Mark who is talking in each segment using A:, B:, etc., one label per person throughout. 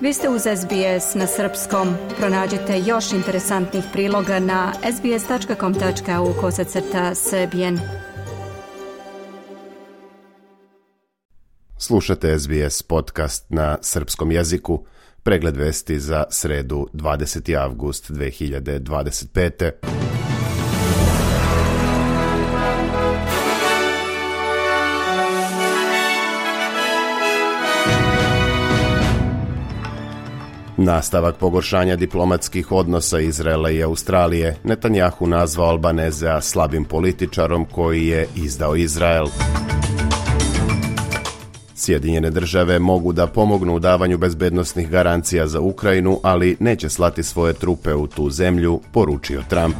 A: Vi ste uz SBS na srpskom. Pronađite još interesantnih priloga na sbs.com.au/srbijen.
B: Slušate SBS podcast na srpskom jeziku. Pregled vesti za sredu 20. avgust 2025. Nastavak pogoršanja diplomatskih odnosa Izraela i Australije. Netanjahu nazvao Albanezea slabim političarom koji je izdao Izrael. Sjedinjene države mogu da pomognu u davanju bezbednosnih garancija za Ukrajinu, ali neće slati svoje trupe u tu zemlju, poručio Trump.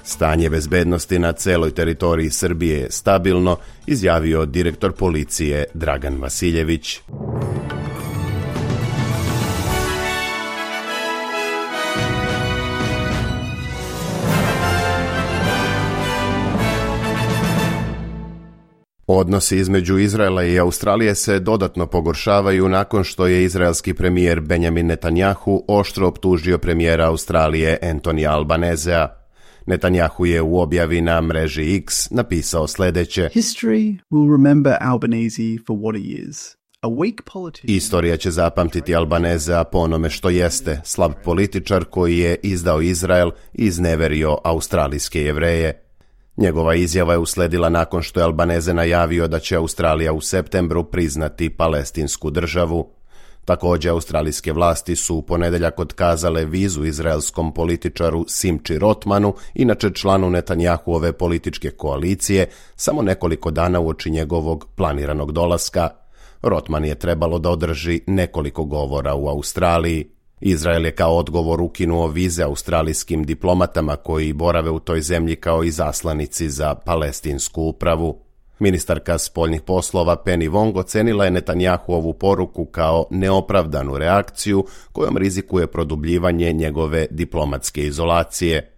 B: Stanje bezbednosti na celoj teritoriji Srbije je stabilno, izjavio direktor policije Dragan Vasiljević. Odnosi između Izraela i Australije se dodatno pogoršavaju nakon što je izraelski premijer Benjamin Netanjahu oštro optužio premijera Australije Anthonyja Albanezea. Netanjahu je u objavi na mreži X napisao sljedeće:
C: History will remember Albanese for what he is.
B: Istorija će zapamtiti Albanezea po onome što jeste, slab političar koji je izdao Izrael i izneverio australijske Jevreje. Njegova izjava je usledila nakon što je Albaneze najavio da će Australija u septembru priznati palestinsku državu. Također, australijske vlasti su u ponedjeljak otkazale vizu izraelskom političaru Simči Rotmanu, inače članu Netanjahuove političke koalicije, samo nekoliko dana uoči njegovog planiranog dolaska. Rotman je trebalo da održi nekoliko govora u Australiji. Izrael je kao odgovor ukinuo vize australijskim diplomatama koji borave u toj zemlji kao izaslanici za palestinsku upravu. Ministarka spoljnih poslova Penny Wong ocenila je Netanjahuovu poruku kao neopravdanu reakciju kojom rizikuje produbljivanje njegove diplomatske izolacije.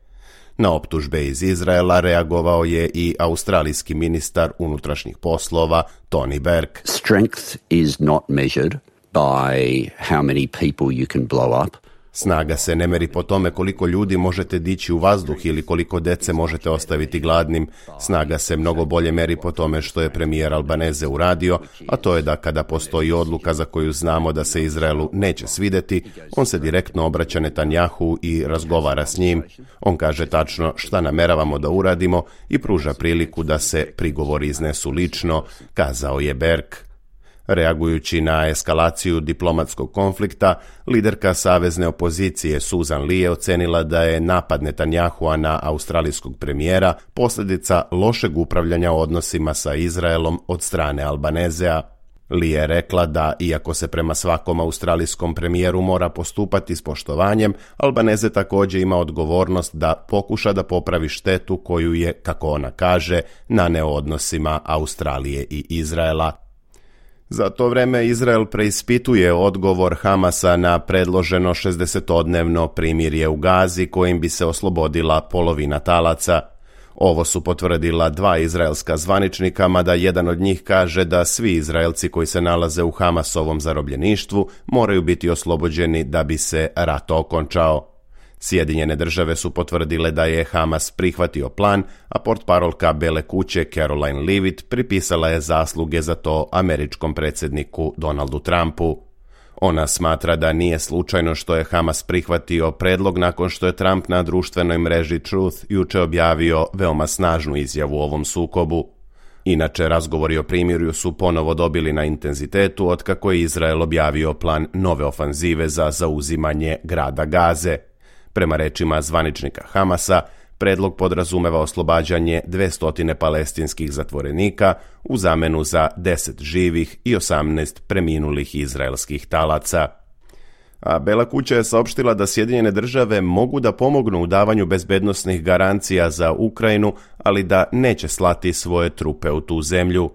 B: Na optužbe iz Izraela reagovao je i australijski ministar unutrašnjih poslova Tony Burke.
D: Strength is not measured by how many people you can blow up.
B: Snaga se ne meri po tome koliko ljudi možete dići u vazduh ili koliko dece možete ostaviti gladnim. Snaga se mnogo bolje meri po tome što je premijer Albaneze uradio, a to je da kada postoji odluka za koju znamo da se Izraelu neće svideti, on se direktno obraća Netanjahu i razgovara s njim. On kaže tačno šta nameravamo da uradimo i pruža priliku da se prigovori iznesu lično, kazao je Berg. Reagujući na eskalaciju diplomatskog konflikta, liderka savezne opozicije Susan Lee je ocenila da je napad Netanjahua na australijskog premijera posljedica lošeg upravljanja odnosima sa Izraelom od strane Albanezea. Lee je rekla da, iako se prema svakom australijskom premijeru mora postupati s poštovanjem, Albaneze također ima odgovornost da pokuša da popravi štetu koju je, kako ona kaže, naneo odnosima Australije i Izraela. Za to vreme Izrael preispituje odgovor Hamasa na predloženo 60-dnevno primirje u Gazi kojim bi se oslobodila polovina talaca. Ovo su potvrdila dva izraelska zvaničnika, mada jedan od njih kaže da svi Izraelci koji se nalaze u Hamasovom zarobljeništvu moraju biti oslobođeni da bi se rat okončao. Sjedinjene države su potvrdile da je Hamas prihvatio plan, a portparolka Bele kuće Caroline Leavitt pripisala je zasluge za to američkom predsjedniku Donaldu Trumpu. Ona smatra da nije slučajno što je Hamas prihvatio predlog nakon što je Trump na društvenoj mreži Truth juče objavio veoma snažnu izjavu o ovom sukobu. Inače, razgovori o primirju su ponovo dobili na intenzitetu otkako je Izrael objavio plan nove ofanzive za zauzimanje grada Gaze. Prema rečima zvaničnika Hamasa, predlog podrazumeva oslobađanje 200 palestinskih zatvorenika u zamenu za 10 živih i 18 preminulih izraelskih talaca. A Bela kuća je saopštila da Sjedinjene države mogu da pomognu u davanju bezbednosnih garancija za Ukrajinu, ali da neće slati svoje trupe u tu zemlju.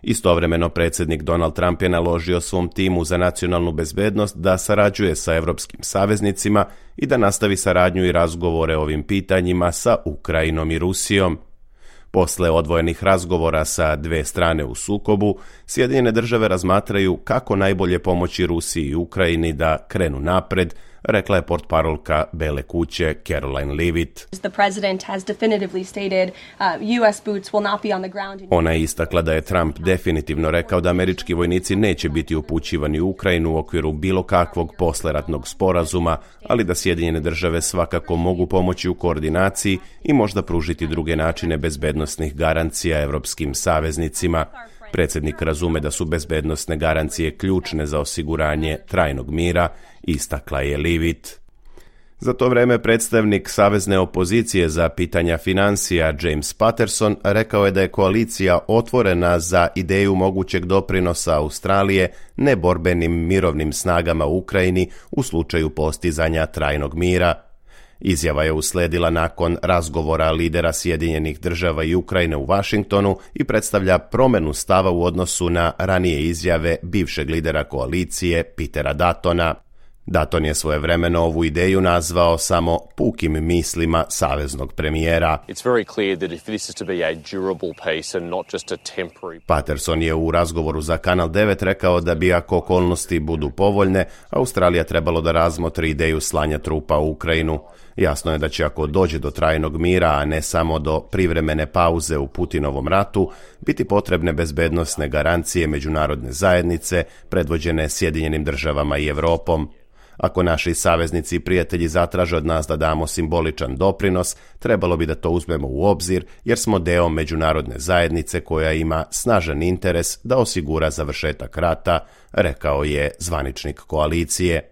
B: Istovremeno predsjednik Donald Trump je naložio svom timu za nacionalnu bezbednost da sarađuje sa evropskim saveznicima i da nastavi saradnju i razgovore o ovim pitanjima sa Ukrajinom i Rusijom. Posle odvojenih razgovora sa dve strane u sukobu, Sjedinjene države razmatraju kako najbolje pomoći Rusiji i Ukrajini da krenu napred, rekla je portparolka Bele kuće Caroline Leavitt. Ona je istakla da je Trump definitivno rekao da američki vojnici neće biti upućivani u Ukrajinu u okviru bilo kakvog posleratnog sporazuma, ali da Sjedinjene države svakako mogu pomoći u koordinaciji i možda pružiti druge načine bezbednosnih garancija evropskim saveznicima. Predsjednik razume da su bezbednosne garancije ključne za osiguranje trajnog mira, istakla je Leavitt. Za to vreme predstavnik savezne opozicije za pitanja financija James Patterson rekao je da je koalicija otvorena za ideju mogućeg doprinosa Australije neborbenim mirovnim snagama u Ukrajini u slučaju postizanja trajnog mira. Izjava je usledila nakon razgovora lidera Sjedinjenih država i Ukrajine u Washingtonu i predstavlja promjenu stava u odnosu na ranije izjave bivšeg lidera koalicije Petera Duttona. Dutton je svojevremeno ovu ideju nazvao samo pukim mislima saveznog premijera. Patterson je u razgovoru za Kanal 9 rekao da bi, ako okolnosti budu povoljne, Australija trebalo da razmotri ideju slanja trupa u Ukrajinu. Jasno je da će, ako dođe do trajnog mira, a ne samo do privremene pauze u Putinovom ratu, biti potrebne bezbednosne garancije međunarodne zajednice predvođene Sjedinjenim državama i Evropom. Ako naši saveznici i prijatelji zatraže od nas da damo simboličan doprinos, trebalo bi da to uzmemo u obzir, jer smo deo međunarodne zajednice koja ima snažan interes da osigura završetak rata, rekao je zvaničnik koalicije.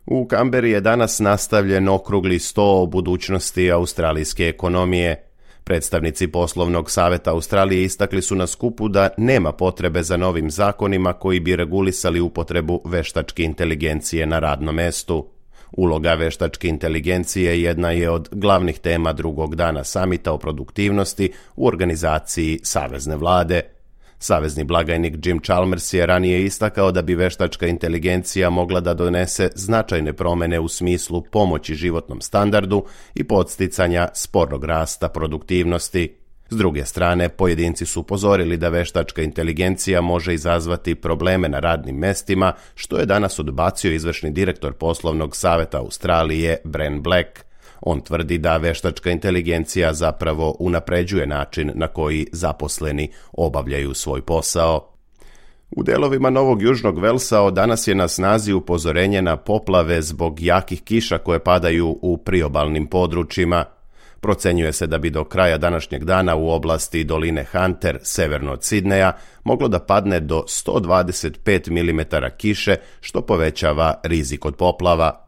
B: U Kamberi je danas nastavljen okrugli sto o budućnosti australijske ekonomije. Predstavnici poslovnog saveta Australije istakli su na skupu da nema potrebe za novim zakonima koji bi regulisali upotrebu veštačke inteligencije na radnom mestu. Uloga veštačke inteligencije jedna je od glavnih tema drugog dana samita o produktivnosti u organizaciji savezne vlade. Savezni blagajnik Jim Chalmers je ranije istakao da bi veštačka inteligencija mogla da donese značajne promjene u smislu pomoći životnom standardu i podsticanja sporog rasta produktivnosti. S druge strane, pojedinci su upozorili da veštačka inteligencija može izazvati probleme na radnim mestima, što je danas odbacio izvršni direktor poslovnog saveta Australije Bren Black. On tvrdi da veštačka inteligencija zapravo unapređuje način na koji zaposleni obavljaju svoj posao. U delovima Novog Južnog Velsa od danas je na snazi upozorenje na poplave zbog jakih kiša koje padaju u priobalnim područjima. Procenjuje se da bi do kraja današnjeg dana u oblasti doline Hunter, severno od Sidneja, moglo da padne do 125 mm kiše, što povećava rizik od poplava.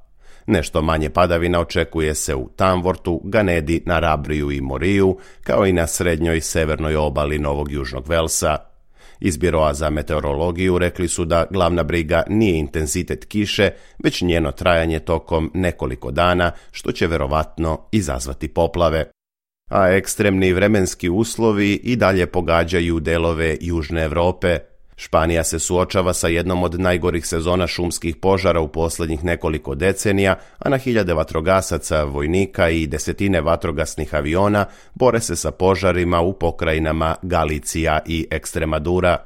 B: Nešto manje padavina očekuje se u Tamworthu, Ganedi, Narabriju i Moriju, kao i na srednjoj i severnoj obali Novog Južnog Velsa. Iz Biroa za meteorologiju rekli su da glavna briga nije intenzitet kiše, već njeno trajanje tokom nekoliko dana, što će verovatno izazvati poplave. A ekstremni vremenski uslovi i dalje pogađaju delove Južne Evrope. Španija se suočava sa jednom od najgorih sezona šumskih požara u posljednjih nekoliko decenija, a na hiljade vatrogasaca, vojnika i desetine vatrogasnih aviona bore se sa požarima u pokrajinama Galicija i Ekstremadura.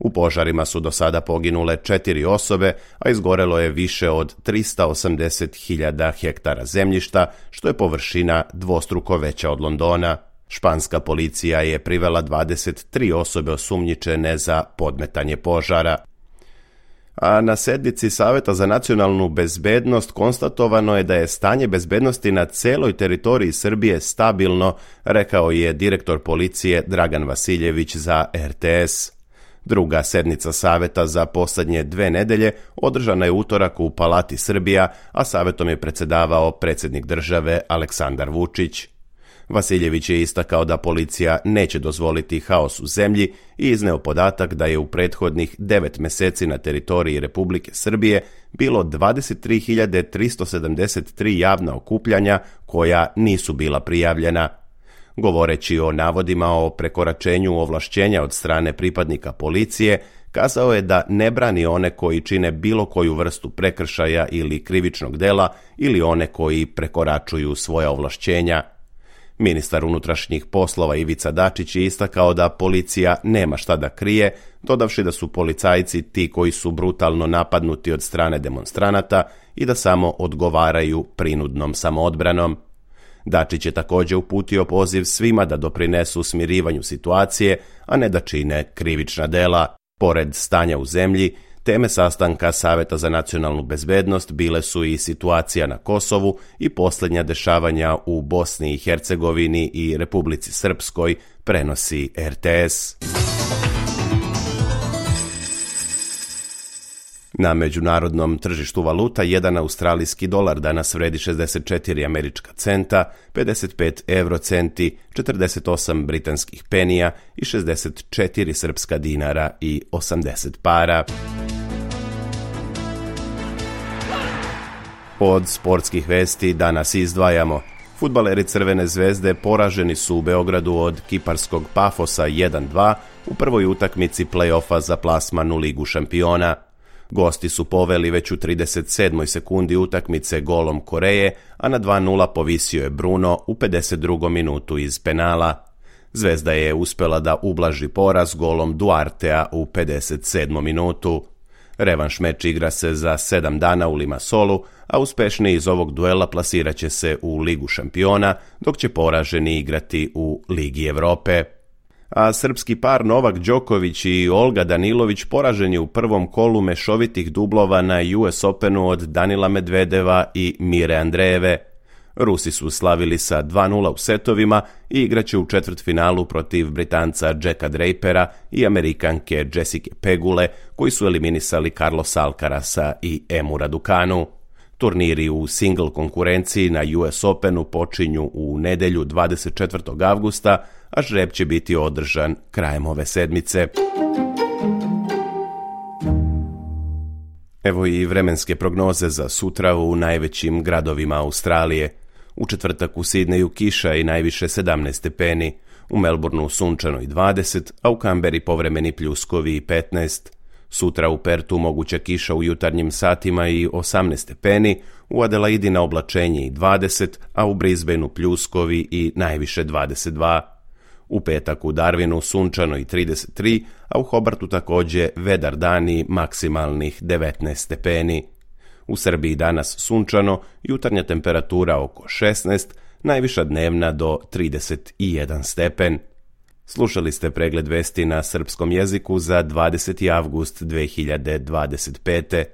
B: U požarima su do sada poginule 4 osobe, a izgorelo je više od 380.000 hektara zemljišta, što je površina dvostruko veća od Londona. Španska policija je privela 23 osobe osumnjičene za podmetanje požara. A na sednici Saveta za nacionalnu bezbednost konstatovano je da je stanje bezbednosti na celoj teritoriji Srbije stabilno, rekao je direktor policije Dragan Vasiljević za RTS. Druga sednica Saveta za posljednje 2 nedelje održana je utorak u Palati Srbija, a Savetom je predsjedavao predsjednik države Aleksandar Vučić. Vasiljević je istakao da policija neće dozvoliti haos u zemlji i izneo podatak da je u prethodnih 9 meseci na teritoriji Republike Srbije bilo 23.373 javna okupljanja koja nisu bila prijavljena. Govoreći o navodima o prekoračenju ovlašćenja od strane pripadnika policije, kazao je da ne brani one koji čine bilo koju vrstu prekršaja ili krivičnog dela ili one koji prekoračuju svoja ovlašćenja. Ministar unutrašnjih poslova Ivica Dačić je istakao da policija nema šta da krije, dodavši da su policajci ti koji su brutalno napadnuti od strane demonstranata i da samo odgovaraju prinudnom samoodbranom. Dačić je također uputio poziv svima da doprinesu smirivanju situacije, a ne da čine krivična dela. Pored stanja u zemlji, teme sastanka Saveta za nacionalnu bezbednost bile su i situacija na Kosovu i posljednja dešavanja u Bosni i Hercegovini i Republici Srpskoj, prenosi RTS. Na međunarodnom tržištu valuta jedan australijski dolar danas vredi 64 američka centa, 55 eurocenti, 48 britanskih penija i 64 srpska dinara i 80 para. Od sportskih vesti danas izdvajamo. Fudbaleri Crvene zvezde poraženi su u Beogradu od kiparskog Pafosa 1-2 u prvoj utakmici play-offa za plasman u Ligu šampiona. Gosti su poveli već u 37. sekundi utakmice golom Koreje, a na 2-0 povisio je Bruno u 52. minutu iz penala. Zvezda je uspjela da ublaži poraz golom Duartea u 57. minutu. Revanš meč igra se za 7 dana u Limassolu, a uspešni iz ovog duela plasirat će se u Ligu šampiona, dok će poraženi igrati u Ligi Evrope. A srpski par Novak Đoković i Olga Danilović poraženi u prvom kolu mešovitih dublova na US Openu od Danila Medvedeva i Mire Andrejeve. Rusi su slavili sa 2-0 u setovima i igraće u četvrtfinalu protiv Britanca Jacka Drapera i Amerikanke Jessica Pegule, koji su eliminisali Carlosa Alcarasa i Emu Raducanu. Turniri u single konkurenciji na US Openu počinju u nedjelju 24. avgusta, a žreb će biti održan krajem ove sedmice. Evo i vremenske prognoze za sutra u najvećim gradovima Australije. U četvrtak u Sidneju kiša i najviše 17 stepeni, u Melbourneu sunčano i 20, a u Kamberi povremeni pljuskovi i 15. Sutra u Pertu moguća kiša u jutarnjim satima i 18 stepeni, u Adelaidi na oblačenje i 20, a u Brisbaneu pljuskovi i najviše 22. U petak u Darwinu sunčano i 33, a u Hobartu također vedar dani maksimalnih 19 stepeni. U Srbiji danas sunčano, jutarnja temperatura oko 16, najviša dnevna do 31 stepen. Slušali ste pregled vesti na srpskom jeziku za 20. avgust 2025.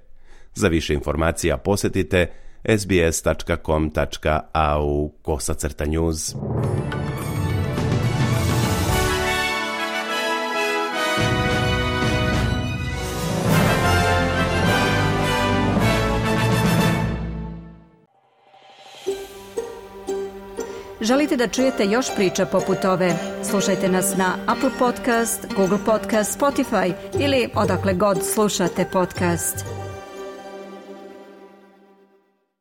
B: Za više informacija posjetite sbs.com.au/news.
A: Želite da čujete još priča poput ove? Slušajte nas na Apple Podcast, Google Podcast, Spotify ili odakle god slušate podcast.